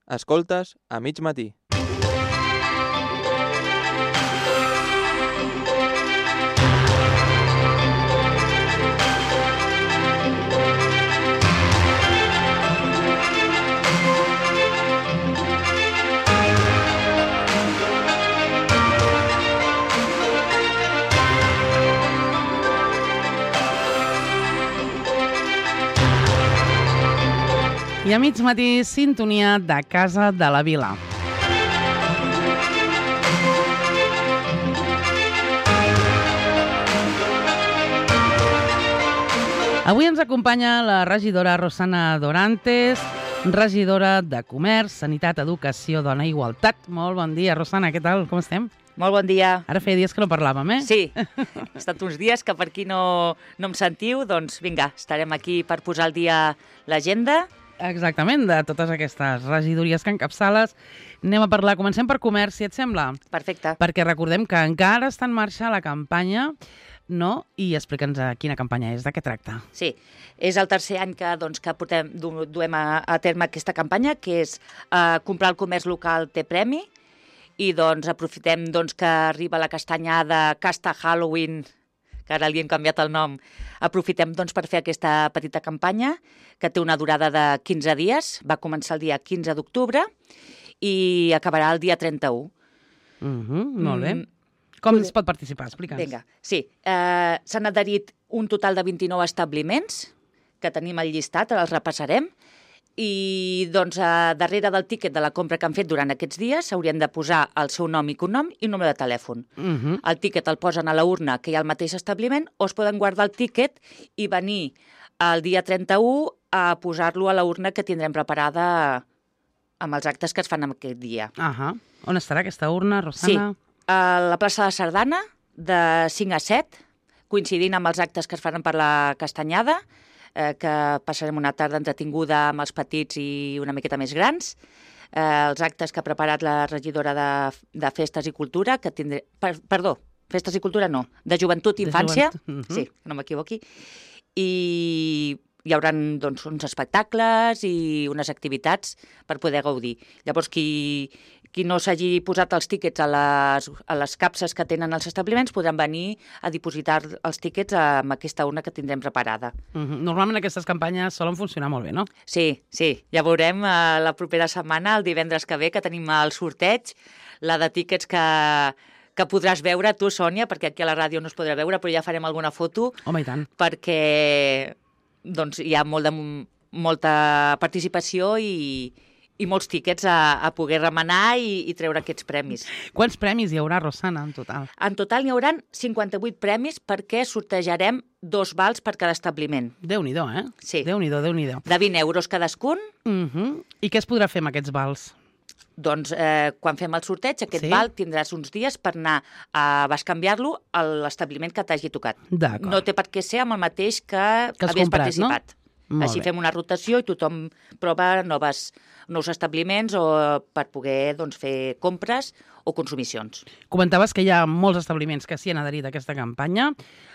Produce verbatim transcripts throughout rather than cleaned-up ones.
Escoltes a mig matí. I a mig matí, sintonia de Casa de la Vila. Avui ens acompanya la regidora Rosana Dorantes, regidora de Comerç, Sanitat, Educació, Dona i Igualtat. Molt bon dia, Rosana, què tal? Com estem? Molt bon dia. Ara feia dies que no parlàvem, eh? Sí, ha estat uns dies que per qui no, no em sentiu, doncs vinga, estarem aquí per posar al dia l'agenda. Exactament, de totes aquestes regidories que encapçales. Anem a parlar, comencem per comerç, si et sembla. Perfecte. Perquè recordem que encara està en marxa la campanya, no? I explica'ns quina campanya és, de què tracta. Sí, és el tercer any que, doncs, que portem, du, duem a, a terme aquesta campanya, que és eh, comprar el comerç local té premi, i doncs aprofitem doncs, que arriba la castanyada, Casta Halloween, que ara li hem canviat el nom. Aprofitem doncs, per fer aquesta petita campanya, que té una durada de quinze dies, va començar el dia quinze d'octubre i acabarà el dia trenta-u. Uh -huh, molt bé. Mm. Com es pot participar? Explica'ns. Vinga, sí. Eh, S'han adherit un total de vint-i-nou establiments, que tenim al llistat, ara els repassarem, i doncs, a darrere del tíquet de la compra que han fet durant aquests dies s'haurien de posar el seu nom i cognom i número de telèfon. Uh -huh. El tíquet el posen a la urna que hi ha al mateix establiment o es poden guardar el tíquet i venir el dia trenta-u a posar-lo a la urna que tindrem preparada amb els actes que es fan en aquest dia. Uh -huh. On estarà aquesta urna, Rosana? Sí, a la plaça de Sardana, de cinc a set, coincidint amb els actes que es faran per la castanyada, eh, que passarem una tarda entretinguda amb els petits i una miqueta més grans. Eh, els actes que ha preparat la regidora de, de Festes i Cultura, que tindré... Per, perdó, Festes i Cultura no, de Joventut i Infància, joventut. Uh -huh. Sí, que no m'equivoqui, i hi haurà doncs, uns espectacles i unes activitats per poder gaudir. Llavors, qui, qui no s'hagi posat els tíquets a les, a les capses que tenen els establiments podran venir a dipositar els tíquets amb aquesta urna que tindrem preparada. Uh -huh. Normalment aquestes campanyes solen funcionar molt bé, no? Sí, sí. Ja veurem eh, la propera setmana, el divendres que ve, que tenim el sorteig, la de tíquets que... que podràs veure tu, Sònia, perquè aquí a la ràdio no es podrà veure, però ja farem alguna foto. Home, i tant. Perquè doncs, hi ha molt de, molta participació i, i molts tíquets a, a poder remenar i, i treure aquests premis. Quants premis hi haurà, Rosana, en total? En total n'hi haurà cinquanta-vuit premis perquè sortejarem dos vals per cada establiment. Déu-n'hi-do, eh? Sí. Déu-n'hi-do, Déu-n'hi-do. De vint euros cadascun. Uh -huh. I què es podrà fer amb aquests vals? Doncs eh, quan fem el sorteig, aquest Sí? val tindràs uns dies per anar a bescanviar-lo a l'establiment que t'hagi tocat. D'acord. No té per què ser amb el mateix que, Que has havies comprat, participat. no? Molt Així bé. fem una rotació i tothom prova noves, nous establiments o per poder doncs, fer compres o consumicions. Comentaves que hi ha molts establiments que s'hi han adherit a aquesta campanya.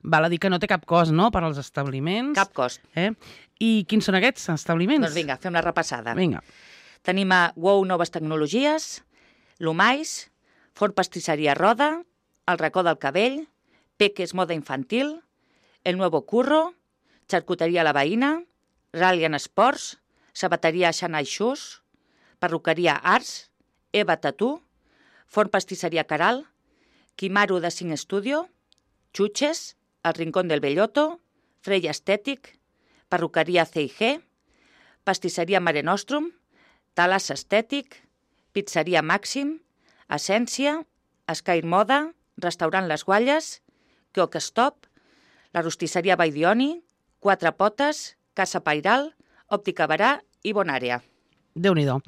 Val a dir que no té cap cost, no?, per als establiments. Cap cost. Eh? I quins són aquests establiments? Doncs vinga, fem la repassada. Vinga. Tenim a Wow Noves Tecnologies, L'Humais, Forn Pastisseria Roda, El Racó del Cabell, Peques Moda Infantil, El Nuevo Curro, Xarcuteria La Veïna, Rallian Sports, Sabateria Xanai Xus, Perruqueria Arts, Eva Tatú, Forn Pastisseria Caral, Quimaru de Cinc Studio, Xuches, El Rincón del Belloto, Freya Estètic, Perruqueria C i G, Pastisseria Mare Nostrum, Talas Estètic, Pizzeria Màxim, Essència, Sky Moda, Restaurant Les Gualles, Cook Stop, la Rostisseria Baidioni, Quatre Potes, Casa Pairal, Òptica Barà i Bonàrea. Déu-n'hi-do.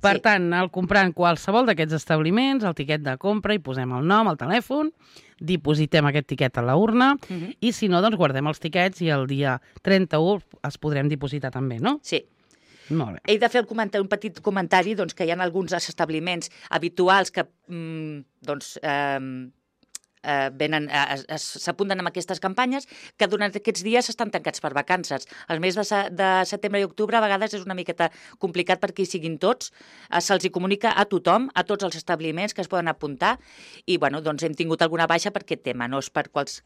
Per Sí. tant, al comprar en qualsevol d'aquests establiments, el tiquet de compra, hi posem el nom, el telèfon, dipositem aquest tiquet a la urna, Uh -huh. i si no, doncs guardem els tiquets i el dia trenta-u els podrem dipositar també, no? Sí. Molt bé. He de fer el comentari, un petit comentari doncs, que hi ha alguns establiments habituals que mm, doncs, eh, eh, venen, eh, s'apunten amb aquestes campanyes que durant aquests dies estan tancats per vacances. El mes de, de setembre i octubre a vegades és una miqueta complicat perquè hi siguin tots. Eh, Se'ls hi comunica a tothom, a tots els establiments que es poden apuntar i bueno, doncs hem tingut alguna baixa per aquest tema, no és per quals,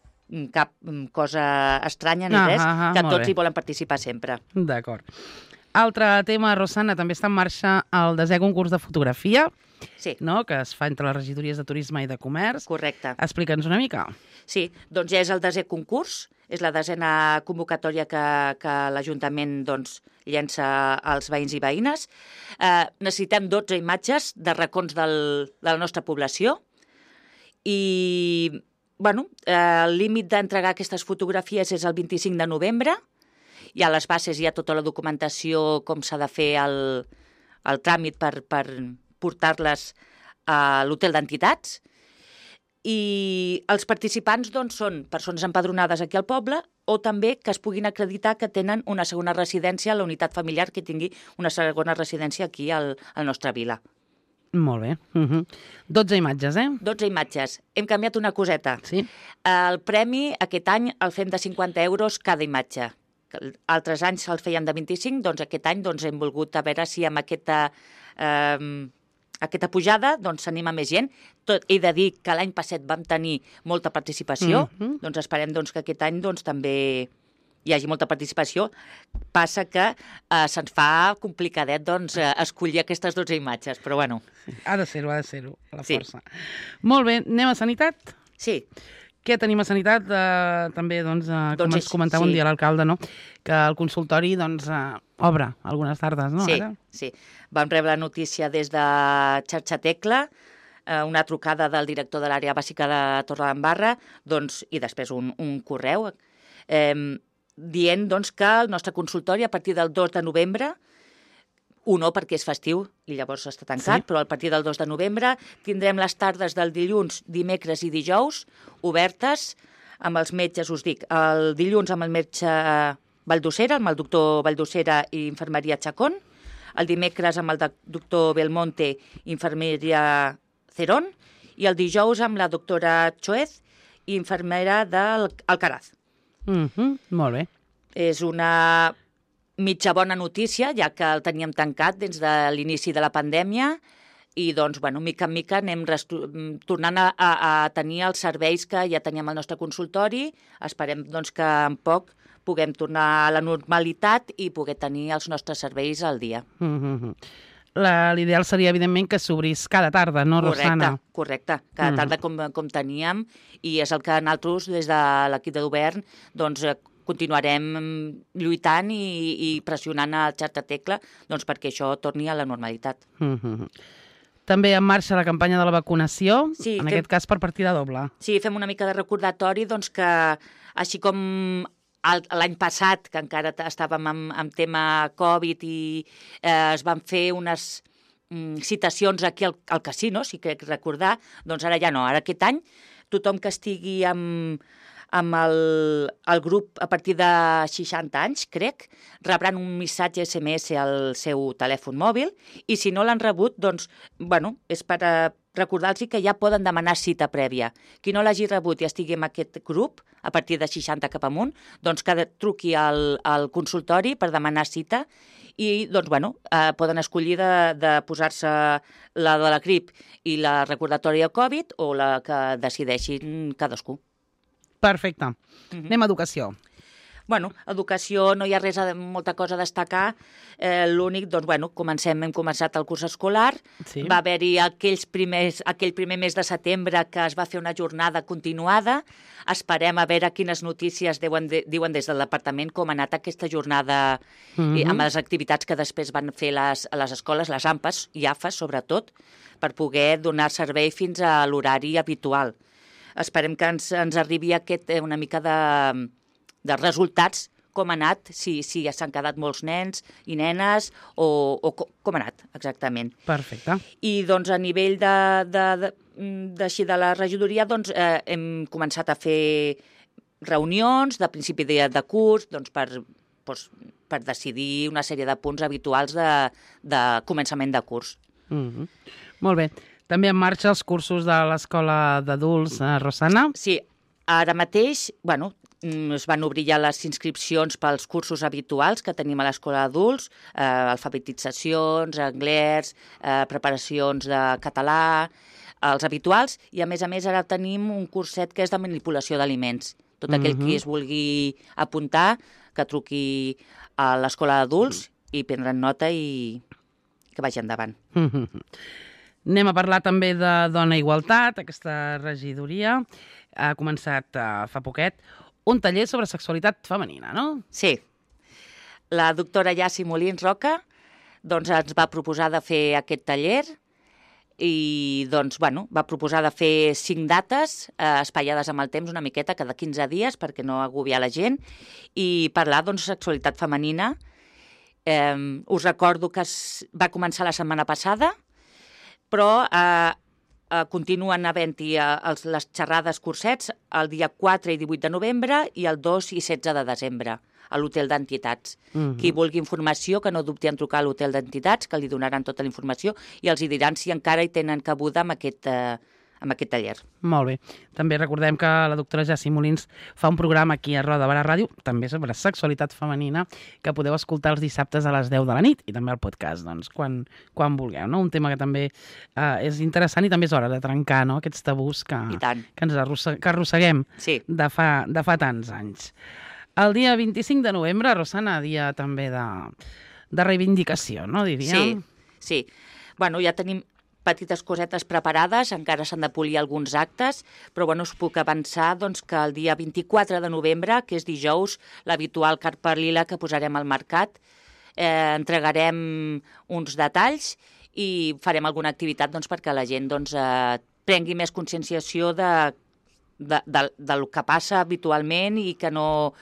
cap cosa estranya ni Ah, res, ah, ah, que molt tots bé. hi volen participar sempre. D'acord. Altre tema, Rosana, també està en marxa el desè concurs de fotografia, Sí, no?, que es fa entre les regidories de Turisme i de Comerç. correcte. Explica'ns una mica. Sí, doncs ja és el desè concurs, és la desena convocatòria que, que l'Ajuntament doncs, llença als veïns i veïnes. Eh, necessitem dotze imatges de racons del, de la nostra població i bueno, eh, el límit d'entregar aquestes fotografies és el vint-i-cinc de novembre. Hi ha les bases, hi ha tota la documentació, com s'ha de fer el, el tràmit per, per portar-les a l'hotel d'entitats. I els participants doncs, són persones empadronades aquí al poble o també que es puguin acreditar que tenen una segona residència a la unitat familiar que tingui una segona residència aquí al, al nostre vila. Molt bé. Uh -huh. dotze imatges, eh? dotze imatges. Hem canviat una coseta. Sí. El premi aquest any el fem de cinquanta euros cada imatge. Altres anys el feien de vint-i-cinc, doncs aquest any doncs, hem volgut a veure si amb aquesta... Eh, aquesta pujada doncs s'anima més gent. Tot, he de dir que l'any passat vam tenir molta participació, Mm -hmm. doncs esperem doncs, que aquest any doncs, també hi hagi molta participació. Passa que eh, se'ns fa complicadet doncs, eh, escollir aquestes dotze imatges, però bueno. Ha de ser-ho, ha de ser-ho, a la Sí. força. Molt bé, anem a Sanitat? Sí, Què tenim a Sanitat? Eh, també, doncs, eh, com Doncs ens és- comentava sí. un dia l'alcalde, no?, que el consultori doncs, eh, obre algunes tardes, no? sí, Ara? sí. Vam rebre la notícia des de Xarxa Tecla, eh, una trucada del director de l'àrea bàsica de Torredembarra, doncs, i després un, un correu eh, dient doncs, que el nostre consultori a partir del dos de novembre, un no perquè és festiu i llavors està tancat, Sí. però a partir del dos de novembre tindrem les tardes del dilluns, dimecres i dijous obertes amb els metges, us dic, el dilluns amb el metge Valldosera, amb el doctor Valldosera i infermeria Chacón, el dimecres amb el de- doctor Belmonte, infermeria Cerón, i el dijous amb la doctora Choez, infermera d'Alcaraz. Mm -hmm. Molt bé. És una mitja bona notícia, ja que el teníem tancat des de l'inici de la pandèmia i, doncs, bueno, mica en mica anem tornant a, a, a tenir els serveis que ja teníem al nostre consultori. Esperem, doncs, que en poc puguem tornar a la normalitat i poder tenir els nostres serveis al dia. Mm -hmm. L'ideal seria, evidentment, que s'obrís cada tarda, no, Rosana? Correcte, correcte. Cada Mm. tarda com, com teníem, i és el que nosaltres, des de l'equip de govern, doncs, eh, continuarem lluitant i, i pressionant a Xarxa Tecla doncs, perquè això torni a la normalitat. Mm -hmm. També en marxa la campanya de la vacunació, Sí, en fem- aquest cas per partida doble. Sí, fem una mica de recordatori doncs, que, així com el- l'any passat, que encara t- estàvem amb, amb tema Covid i eh, es van fer unes mm, citacions aquí al, al casino, si crec recordar, doncs ara ja no. Ara aquest any tothom que estigui amb, amb el, el grup a partir de seixanta anys, crec, rebran un missatge S M S al seu telèfon mòbil i si no l'han rebut, doncs, bueno, és per a recordar-los que ja poden demanar cita prèvia. Qui no l'hagi rebut i estigui en aquest grup, a partir de seixanta cap amunt, doncs que truqui al, al consultori per demanar cita i, doncs, bueno, eh, poden escollir de, de posar-se la de la grip i la recordatòria Covid o la que decideixin cadascú. Perfecte. Mm Mhm. -hmm. Anem a educació. Bueno, educació no hi ha res, a, molta cosa a destacar. Eh, L'únic, doncs, bueno, comencem, hem començat el curs escolar. Sí. Va haver-hi aquells primers, aquell primer mes de setembre que es va fer una jornada continuada. Esperem a veure quines notícies diuen, de, diuen des del departament com ha anat aquesta jornada Mm -hmm. i amb les activitats que després van fer les, a les escoles, les AMPAs i AFAs, sobretot, per poder donar servei fins a l'horari habitual. Esperem que ens, ens arribi aquest, eh, una mica de, de resultats, com ha anat, si, si ja s'han quedat molts nens i nenes, o, o com, com ha anat, exactament. Perfecte. I, doncs, a nivell de, de, de, de, de la regidoria, doncs, eh, hem començat a fer reunions de principi de, de curs, doncs, per, doncs, per decidir una sèrie de punts habituals de, de començament de curs. Mm -hmm. Molt bé. També en marxa els cursos de l'Escola d'Adults, eh, Rosana? Sí, ara mateix, bueno, es van obrir ja les inscripcions pels cursos habituals que tenim a l'Escola d'Adults, eh, alfabetitzacions, anglès, eh, preparacions de català, els habituals, i a més a més ara tenim un curset que és de manipulació d'aliments. Tot aquell Mhm. qui es vulgui apuntar, que truqui a l'Escola d'Adults i prendran nota i que vagi endavant. Anem a parlar també de Dona i Igualtat, aquesta regidoria. Ha començat eh, fa poquet un taller sobre sexualitat femenina, no? Sí. La doctora Yassi Molins Roca doncs, ens va proposar de fer aquest taller i doncs, bueno, va proposar de fer cinc dates eh, espaiades amb el temps una miqueta, cada quinze dies, perquè no agobiar la gent, i parlar doncs, de sexualitat femenina. Eh, us recordo que es va començar la setmana passada, però eh, eh, continuen havent-hi eh, les xerrades cursets el dia quatre i divuit de novembre i el dos i setze de desembre a l'Hotel d'Entitats. Mhm. Qui vulgui informació, que no dubti en trucar a l'Hotel d'Entitats, que li donaran tota la informació i els hi diran si encara hi tenen cabuda amb aquest, eh, amb aquest taller. Molt bé. També recordem que la doctora Yassi Molins fa un programa aquí a Roda de Barà Ràdio, també sobre sexualitat femenina, que podeu escoltar els dissabtes a les deu de la nit i també al podcast, doncs, quan, quan vulgueu. No? Un tema que també eh, és interessant i també és hora de trencar, no? Aquests tabús que, I tant. que ens arrosse, que arrosseguem Sí. de fa, de fa tants anys. El dia vint-i-cinc de novembre, Rosana, dia també de, de reivindicació, no, diríem? Sí, sí. Bueno, ja tenim petites cosetes preparades, encara s'han de polir alguns actes, però bueno, us puc avançar doncs, que el dia vint-i-quatre de novembre, que és dijous, l'habitual carpa lila que posarem al mercat, eh, entregarem uns detalls i farem alguna activitat doncs, perquè la gent doncs, eh, prengui més conscienciació de, de, de, del que passa habitualment i que no,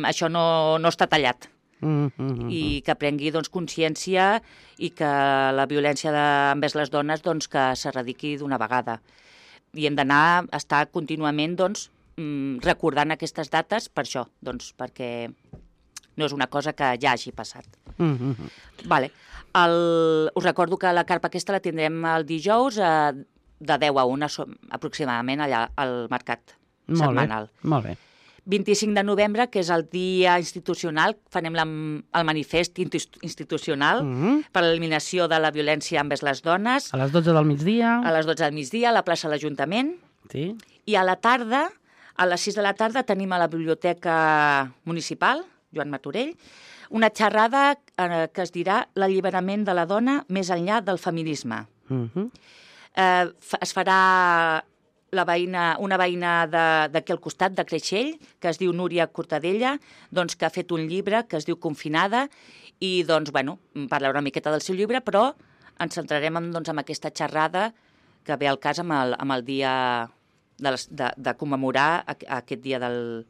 això no, no està tallat. Mm -hmm. I que prengui doncs, consciència i que la violència de, envers les dones doncs, que s'erradiqui d'una vegada. I hem d'anar a estar contínuament doncs, recordant aquestes dates per això, doncs, perquè no és una cosa que ja hagi passat. Mm -hmm. Vale. El, us recordo que la carpa aquesta la tindrem el dijous eh, de deu a una aproximadament allà al mercat molt setmanal. Bé, molt bé. vint-i-cinc de novembre, que és el dia institucional, farem la, el manifest institucional Mm -hmm. per l'eliminació de la violència envers les dones. A les dotze del migdia. A les dotze del migdia, a la plaça de l'Ajuntament. Sí. I a la tarda, a les sis de la tarda, tenim a la Biblioteca Municipal, Joan Martorell, una xerrada eh, que es dirà l'alliberament de la dona més enllà del feminisme. Mm -hmm. eh, es farà la veïna, una veïna d'aquí al costat, de Creixell, que es diu Núria Cortadella, doncs, que ha fet un llibre que es diu Confinada, i doncs, bueno, parlarà una miqueta del seu llibre, però ens centrarem en, doncs, en aquesta xerrada que ve al cas amb el, amb el dia de, les, de, de commemorar aquest dia de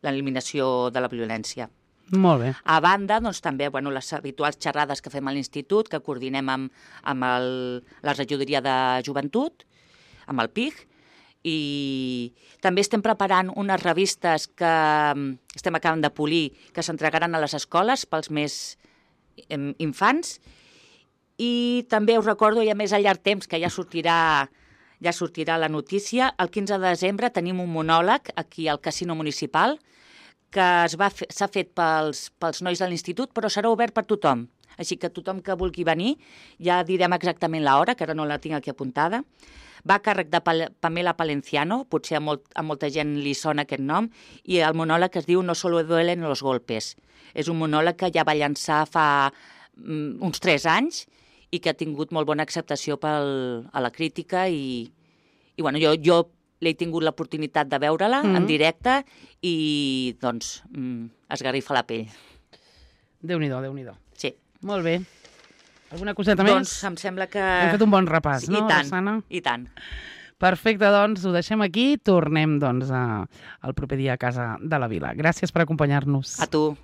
l'eliminació de la violència. Molt bé. A banda, doncs, també bueno, les habituals xerrades que fem a l'Institut, que coordinem amb, amb el, la regidoria de joventut, amb el P I G, i també estem preparant unes revistes que estem acabant de polir, que s'entregaran a les escoles pels més infants, i també us recordo, i a més a llarg temps, que ja sortirà, ja sortirà la notícia, el quinze de desembre tenim un monòleg aquí al Casino Municipal, que s'ha fet pels, pels nois de l'Institut, però serà obert per tothom. Així que tothom que vulgui venir, ja direm exactament l'hora, que ara no la tinc aquí apuntada. Va a càrrec de Pamela Palenciano, potser a, molt, a molta gent li sona aquest nom, i el monòleg es diu No solo duelen los golpes. És un monòleg que ja va llançar fa um, uns tres anys i que ha tingut molt bona acceptació pel, a la crítica i, i bueno, jo, jo l'he tingut l'oportunitat de veure-la mm -hmm. en directe i doncs mm, esgarrifa la pell. Déu-n'hi-do, Déu-n'hi-do. Sí. Molt bé. Alguna coseta doncs, més? Doncs em sembla que... Hem fet un bon repàs, no, I tant, Rosana? I tant. Perfecte, doncs ho deixem aquí. Tornem doncs, a, al proper dia a casa de la Vila. Gràcies per acompanyar-nos. A tu.